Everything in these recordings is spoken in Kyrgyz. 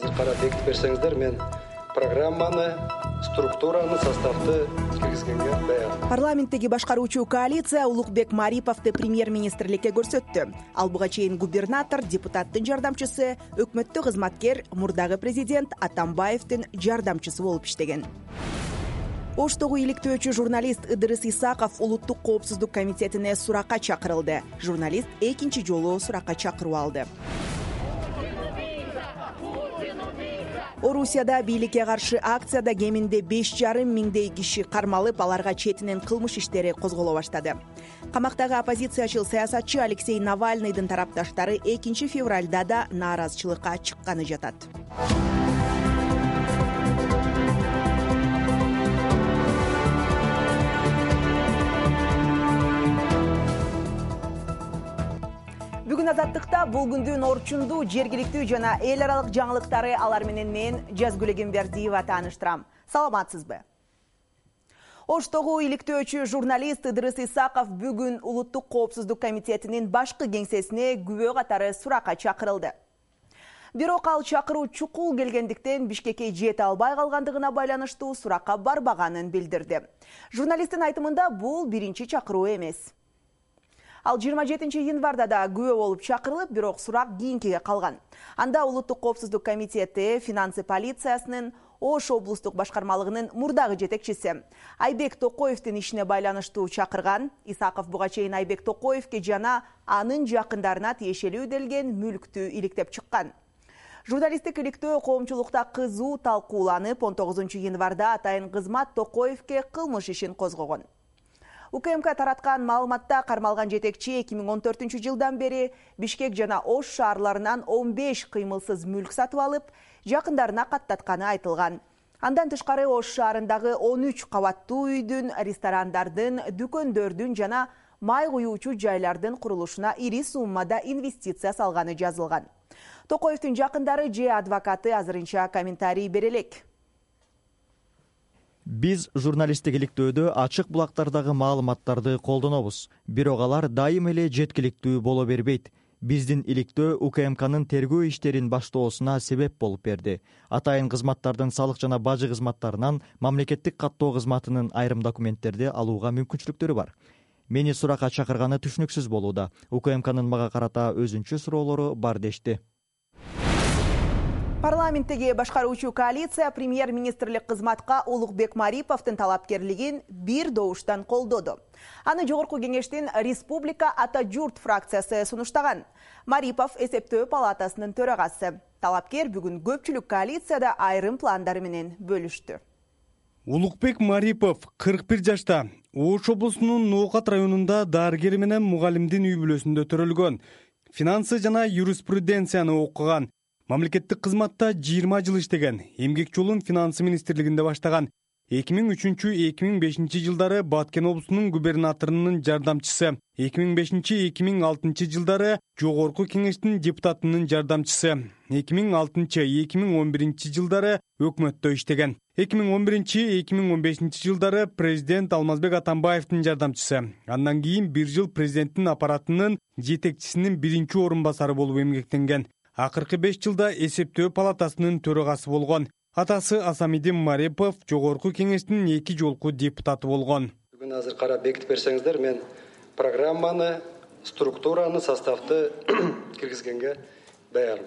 Карап бекитип берсеңиздер, мен программаны, структураны, составты киргизгенге даярмын. Парламенттеги башкаруучу коалиция Улукбек Мариповду премьер-министрликке көрсөттү. Ал буга чейин губернатор, депутаттын жардамчысы, өкмөттүк кызматкер, мурдагы президент Атамбаевдин жардамчысы болуп иштеген. Оштогу иликтөөчү журналист Ыдырыс Исаков Улуттук коопсуздук комитетине суракка чакырылды. Журналист экинчи жолу суракка чакыруу алды. Орусияда бийликке каршы акцияда кеминде 5,5 миңдей киши кармалып, аларга четинен кылмыш иштери козголо баштады. Камактагы оппозициячыл саясатчы Алексей Навальныйдын тарапташтары 2 февралда да нааразычылыкка чыкканы жатат. Бүгүн Азаттыкта бул күндүн орчундуу, жергиликтүү жана эл аралык жаңылыктары алар менен мен Жазгүл Эгембердиева тааныштырам. Саламатсызбы? Оштогу иликтөөчү журналист Ыдырыс Исаков бүгүн Улуттук коопсуздук комитетинин башкы кеңсесине күбө катары суракка чакырылды. Бирок ал чакыруу чукул келгендиктен Бишкекке жете албай калгандыгына байланыштуу суракка барбаганын билдирди. Журналисттин айтымында бул биринчи чакыруу эмес. Ал 27 январда да күбө болуп чакырылып, бирок сурак кийинкиге калган. Анда Улуттук коопсуздук комитети финансы полициясынын Ош облустук башкармалыгынын мурдагы жетекчиси Айбек Токоевдин ишине байланыштуу чакырган. Исаков буга чейин Айбек Токоевге жана анын жакындарына тиешелүү делген мүлктү иликтеп чыккан. Журналисттик иликтөө коомчулукта кызуу талкууланып, 19 январда атайын кызмат Токоевге кылмыш ишин козгогон. УКМК тараткан маалыматта кармалган жетекчи 2014 жылдан бери Бишкек жана Ош шаарларынан 15 кыймылсыз мүлк сатып алып, жакындарына каттатканы айтылган. Андан тышкары Ош шаарындагы 13 кабаттуу үйдүн, ресторандардын, дүкөндөрдүн жана май куюучу жайлардын курулушуна ири суммада инвестиция салганы жазылган. Токоевдин жакындары же адвокаты азырынча комментарий бере элек. Биз журналисттик иликтөөдө ачык булактардагы маалыматтарды колдонобуз. Бирок алар дайым эле жеткиликтүү боло бербейт. Биздин иликтөө УКМКнын тергөө иштерин баштоосуна себеп болуп берди. Атайын кызматтардын салык жана бажы кызматтарынан мамлекеттик каттоо кызматынын айрым документтерди алууга мүмкүнчүлүктөрү бар. Мени суракка чакырганы түшүнүксүз болууда. УКМКнын мага карата өзүнчө суроолору бар дешти. Парламенттеги башкаруучу коалиция премьер-министрлик кызматка Улукбек Мариповдун талапкерлигин бир добуштан колдоду. Аны жогорку кеңештин Республика Ата журт фракциясы сунуштаган. Марипов эсептөө палатасынын төрагасы. Талапкер бүгүн көпчүлүк коалицияда айрым пландары менен бөлүштү. Улукбек Марипов 41 жашта. Ош облусунун Ноокат районунда дарыгер менен мугалимдин үй бүлөсүндө төрөлгөн. Финансы жана юриспруденцияны окуган. Мамлекеттик кызматта 20 жыл иштеген. Эмгек жолун финансы министрлигинде баштаган. 2003-2005 жылдары Баткен облусунун губернаторунун жардамчысы. 2005-2006 жылдары жогорку кеңештин депутатынын жардамчысы. 2006-2011 жылдары өкмөттө иштеген. 2011-2015 жылдары президент Алмазбек Атамбаевдин жардамчысы. Андан кийин 1 жыл президенттин аппаратынын жетекчисинин биринчи орун басары болуп эмгектенген. Акыркы 5 жылда эсептөө палатасынын төрагасы болгон. Атасы Асамидин Марипов жогорку кеңештин 2 жолку депутаты болгон. Бүгүн азыр карап бекитип берсеңиздер, мен программаны, структураны, составты киргизгенге даярмын.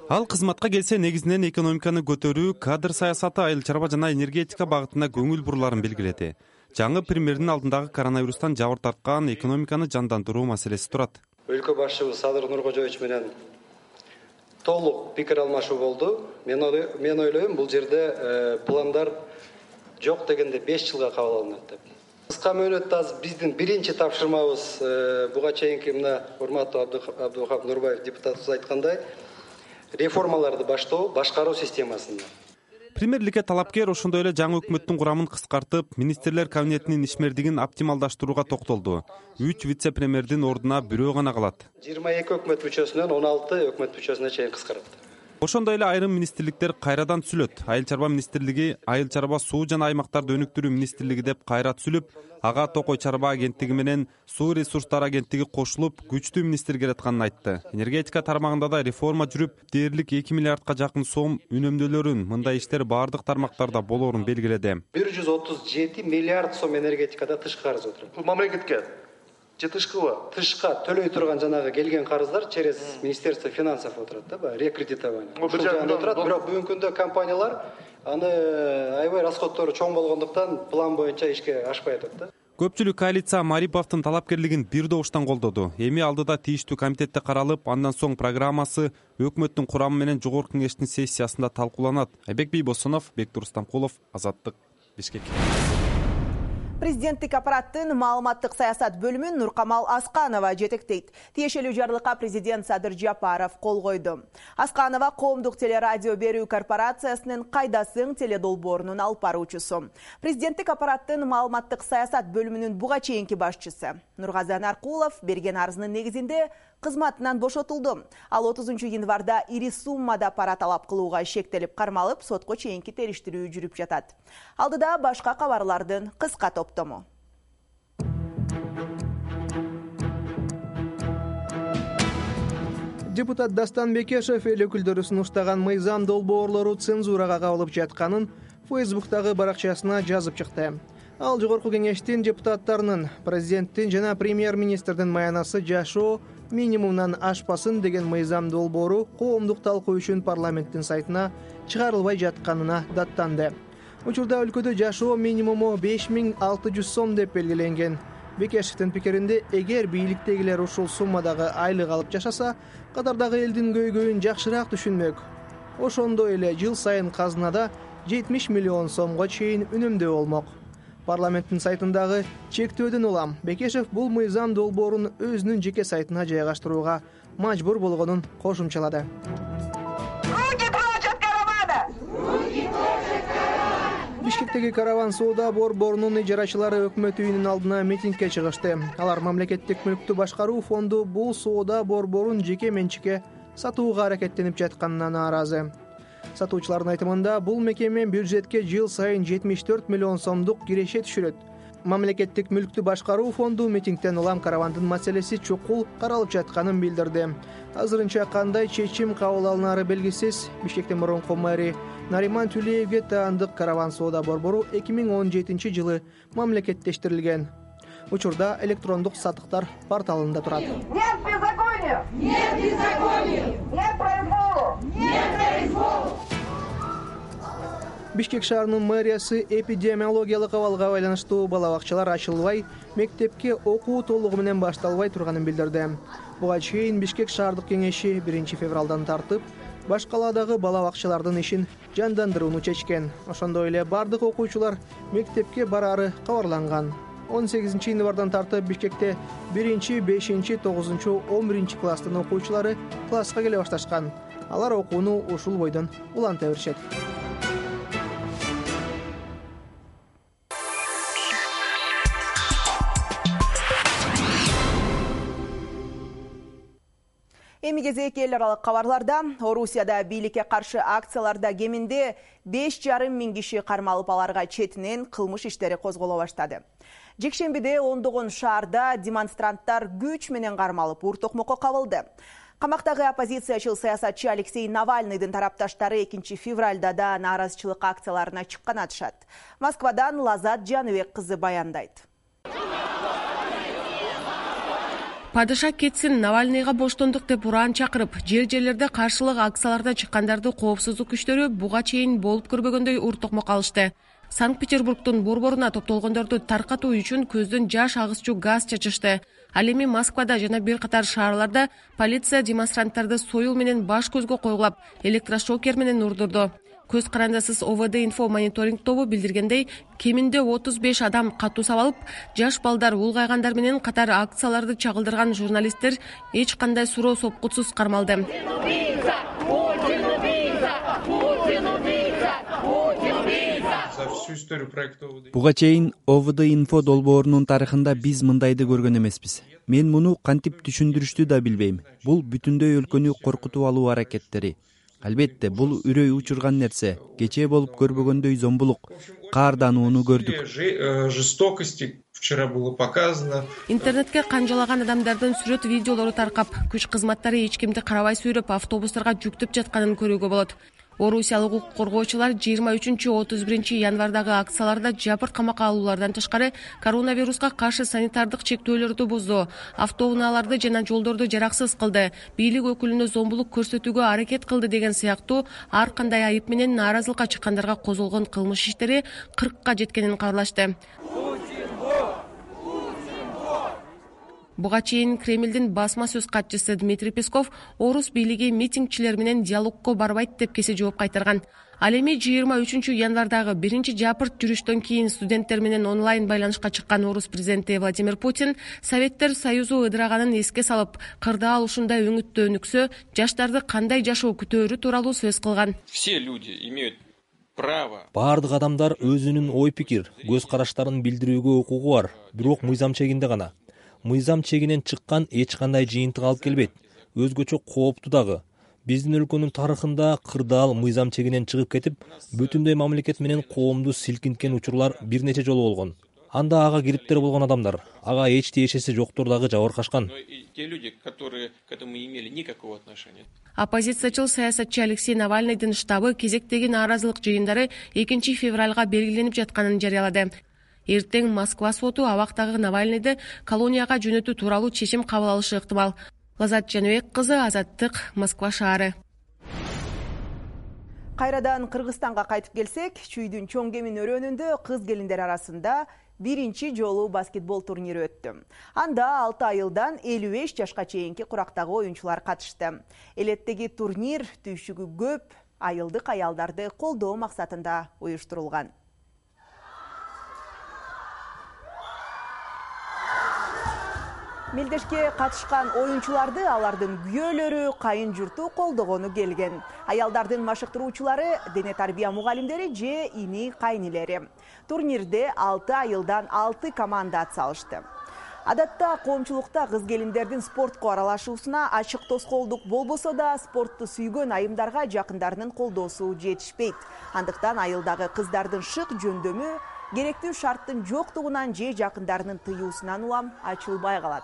Ал кызматка келсе негизинен экономиканы көтөрүү, кадр саясаты, айыл чарба жана энергетика багытына көңүл буруларын белгиледи. Жаңы премьердин алдындагы коронавирустан жабыр тарткан экономиканы жандандыруу маселеси турат. Өлкө башчыбыз Садыр Нуркожоевич менен толук пикир алмашуу болду. Мен ойлойм, бул жерде пландар жок дегенде 5 жылга кабыл алынат деп. Кыска мөөнөттө биздин биринчи тапшырмабыз буга чейинки мына урматтуу Абдухап Нурбаев депутатыбыз айткандай, реформаларды баштоо, башкаруу системасында. Премьерликке талапкер ошондой эле жаңы өкмөттүн курамын кыскартып, министрлер кабинетинин ишмердигин оптималдаштырууга токтолду. 3 вице-премьердин ордуна бирөө гана калат. 22 өкмөт мүчөсүнөн 16 өкмөт мүчөсүнө чейин кыскаратты. Ошондой эле айрым министрликтер кайрадан түзүлөт. Айыл чарба министрлиги айыл чарба суу жана аймактарды өнүктүрүү министрлиги деп кайра түзүлүп, ага Токой чарба агенттиги менен суу ресурстары агенттиги кошулуп, күчтүү министр келатканын айтты. Энергетика тармагында да реформа жүрүп, дээрлик 2 миллиардка жакын сом үнөмдөлөрүн, мындай иштер баардык тармактарда болоорун белгиледи. 137 миллиард сом энергетикада тышкы карыз отурат. Бул мамлекетке же тышкыбы? Тышка төлөй турган жанагы келген карыздар через Министерство финансов отурат да, баягы рекредитование. Ушул жагында отурат, бирок бүгүнкү күндө компаниялар аны аябай расходтору чоң болгондуктан план боюнча ишке ашпай атат да. Көпчүлүк коалиция Мариповдун талапкерлигин бир добуштан колдоду. Эми алдыда тийиштүү комитетте каралып, андан соң программасы өкмөттүн курамы менен жогорку кеңештин сессиясында талкууланат. Айбек Бийбосунов, Бектур Стамкулов, Азаттык, Бишкек. Президенттик аппараттын маалыматтык саясат бөлүмүн Нуркамал Асканова жетектейт. Тиешелүү жарлыкка президент Садыр Жапаров кол койду. Асканова коомдук телерадио берүү корпорациясынын Кайдасың теледолбоорунун алып баруучусу. Президенттик аппараттын маалыматтык саясат бөлүмүнүн буга чейинки башчысы Нургазан Аркулов берген арызынын негизинде кызматынан бошотулду. Ал 30 январда ири суммада пара талап кылууга шектелип кармалып, сотко чейинки териштирүү жүрүп жатат. Алдыда башка кабарлардын кыска топтому. Депутат Дастан Бекешев эл өкүлдөрү сунуштаган мыйзам долбоорлору цензурага кабылып жатканын Фейсбуктагы баракчасына жазып чыкты. Ал жогорку кеңештин депутаттарынын, президенттин жана премьер-министрдин маянасы жашоо минимумдан ашпасын деген мыйзам долбоору коомдук талкуу үчүн парламенттин сайтына чыгарылбай жатканына даттанды. Учурда өлкөдө жашоо минимуму 5600 сом деп белгиленген. Бекешевдин пикиринде, эгер бийликтегилер ушул суммадагы айлык алып жашаса, катардагы элдин көйгөйүн жакшыраак түшүнмөк. Ошондой эле жыл сайын казынада 70 миллион сомго чейин үнөмдөө болмок. Парламенттин сайтындагы чектөөдөн улам Бекешев бул мыйзам долбоорун өзүнүн жеке сайтына жайгаштырууга мажбур болгонун кошумчалады. Бишкектеги караван соода борборунун ижарачылары өкмөт үйүнүн алдына митингге чыгышты. Алар мамлекеттик мүлктү башкаруу фонду бул соода борборун жеке менчикке сатууга аракеттенип жатканына нааразы. Сатуучулардын айтымында бул мекеме бюджетке жыл сайын 74 миллион сомдук киреше түшүрөт. Мамлекеттик мүлктү башкаруу фонду митингден улам каравандын маселеси чукул каралып жатканын билдирди. Азырынча кандай чечим кабыл алынары белгисиз. Бишкектин мурунку мэри Нариман Тюлеевге таандык караван соода борбору 2017 жылы мамлекеттештирилген. Учурда электрондук сатыктар порталында турат. Нет беззаконию! Нет беззаконию! Нет произволу! Нет произволу! Бишкек шаарынын мэриясы эпидемиологиялык абалга байланыштуу балабакчалар ачылбай, мектепке окуу толугу менен башталбай турганын билдирди. Буга чейин Бишкек шаардык кеңеши 1 февралдан тартып, баш калаадагы балабакчалардын ишин жандандырууну чечкен. Ошондой эле бардык окуучулар мектепке бараары кабарланган. 18 январдан тартып Бишкекте 1, 5, 9, 11 класстын окуучулары класска келе башташкан. Алар окууну ушул бойдон уланта беришет. Эми кезек эл аралык кабарларда. Орусияда бийликке каршы акцияларда кеминде 5,5 миң киши кармалып, аларга четинен кылмыш иштери козголо баштады. Жекшембиде ондогон шаарда демонстранттар күч менен кармалып, ур-токмокко кабылды. Камактагы оппозициячыл саясатчы Алексей Навальныйдын тарапташтары 2 февралда да нааразычылык акцияларына чыккан атышат. Москвадан Лазат Жаныбек кызы баяндайт. Падыша кетсин, Навальныйга боштондук деп уран чакырып, жер-жерлерде каршылык акцияларда чыккандарды коопсуздук күчтөрү буга чейин болуп көрбөгөндөй ур-токмок алышты. Санкт-Петербургдун борборуна топтолгондорду таркатуу үчүн көздөн жаш агызчу газ чачышты. Ал эми Москвада жана бир катар шаарларда полиция демонстранттарды союл менен баш көзгө койгулап, электрошокер менен урдурду. Көз карандысыз ОВД инфо мониторинг тобу билдиргендей, кеминде 35 адам катуу сабалып, жаш балдар, улгайгандар менен катар акцияларды чагылдырган журналисттер эч кандай суроо сопкутсуз кармалды. Буга чейин ОВД инфо долбоорунун тарыхында биз мындайды көргөн эмеспиз. Мен муну кантип түшүндүрүштү да билбейм. Бул бүтүндөй өлкөнү коркутуп алуу аракеттери. Албетте, бул үрөй учурган нерсе. Кечээ болуп көрбөгөндөй зомбулук, каарданууну көрдүк. Жестокости вчера было показано. Интернетке канжалаган адамдардын сүрөт видеолору таркап, күч кызматтары эч кимди карабай сүйрөп автобустарга жүктөп жатканын көрүүгө болот. Орусиялык укук коргоочулар 23-31 январдагы акцияларда жапырт камакка алуулардан тышкары коронавируска каршы санитардык чектөөлөрдү бузду, автоунааларды жана жолдорду жараксыз кылды, бийлик өкүлүнө зомбулук көрсөтүүгө аракет кылды деген сыяктуу ар кандай айып менен нааразылыкка чыккандарга козголгон кылмыш иштери 40ка жеткенин кабарлашты. Буга чейин Кремлдин басма сөз катчысы Дмитрий Песков орус бийлиги митингчилер менен диалогко барбайт деп кесе жооп кайтарган. Ал эми 23 январдагы биринчи жапырт жүрүштөн кийин студенттер менен онлайн байланышка чыккан орус президенти Владимир Путин Советтер Союзу ыдыраганын эске салып, кырдаал ушундай өңүттө өнүксө, жаштарды кандай жашоо күтөөрү тууралуу сөз кылган. Все люди имеют право. Бардык адамдар өзүнүн ой пикир, көз караштарын билдирүүгө укугу бар, бирок мыйзам чегинде гана. Мыйзам чегинен чыккан эч кандай жыйынтык алып келбейт. Өзгөчө кооптуу дагы. Биздин өлкөнүн тарыхында кырдаал мыйзам чегинен чыгып кетип, бүтүндөй мамлекет менен коомду силкинткен учурлар бир нече жолу болгон. Анда ага кириптер болгон адамдар, ага эч тиешеси жоктор дагы жабыркашкан. Те люди, которые к этому имели никакого отношения. Оппозициячыл саясатчы Алексей Навальныйдын штабы кезектеги нааразылык жыйындары 2 февралга белгиленип жатканын жарыялады. Эртең Москва соту абактагы Навальныйды колонияга жөнөтүү тууралуу чечим кабыл алышы ыктымал. Лазат Жаныбек кызы, Азаттык, Москва шаары. Кайрадан Кыргызстанга кайтып келсек, Чүйдүн чоң кемин өрөөнүндө кыз келиндер арасында биринчи жолу баскетбол турнири өттү. Анда 6 айылдан 55 жашка чейинки курактагы оюнчулар катышты. Элеттеги турнир түйшүгү көп айылдык аялдарды колдоо максатында уюштурулган. Мелдешке катышкан оюнчуларды алардын күйөөлөрү, кайын журту колдогону келген. Аялдардын машыктыруучулары, дене тарбия мугалимдери же ини кайнилери. Турнирде 6 айылдан 6 команда атсалышты. Адатта коомчулукта кыз келиндердин спортко аралашуусуна ачык тоскоолдук болбосо да, спортту сүйгөн айымдарга жакындарынын колдоосу жетишпейт. Андыктан айылдагы кыздардын шык жөндөмү керектүү шарттын жоктугунан же жакындарынын тыюусунан улам ачылбай калат.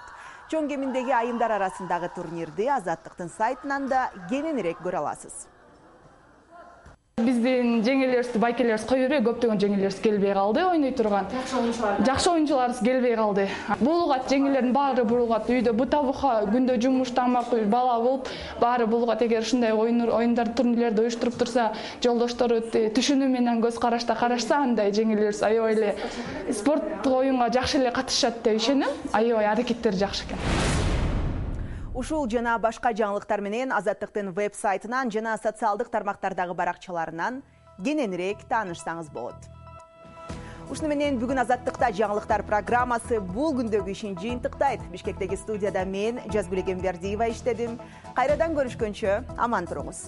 Чоң кеминдеги айымдар арасындагы турнирди Азаттыктын сайтынан да кененирээк көрө аласыз. Биздин жеңелерибиз, байкелерибиз кое бербей, көптөгөн жеңелерибиз келбей калды, ойной турган. Жакшы оюнчуларыбыз келбей калды. Булгат жеңелердин баары булгат, үйдө бута-бука күндө жумуш тамак, бала болуп, баары булгат. Эгер ушундай оюндар, турнирлерди уюштуруп турса, жолдоштору түшүнүү менен көз карашта карашса, андай жеңелерибиз аябай эле спорттук оюнга жакшы эле катышат деп ишенем. Аябай аракеттери жакшы экен. Ушул жана башка жаңылыктар менен Азаттыктын веб-сайтынан жана социалдык тармактардагы баракчаларынан кененирээк таанышсаңыз болот. Ушуну менен бүгүн Азаттыкта жаңылыктар программасы бул күндөгү ишин жыйынтыктайт. Бишкектеги студияда мен Жазгүл Эгембердиева иштедим. Кайрадан көрүшкөнчө аман туруңуз.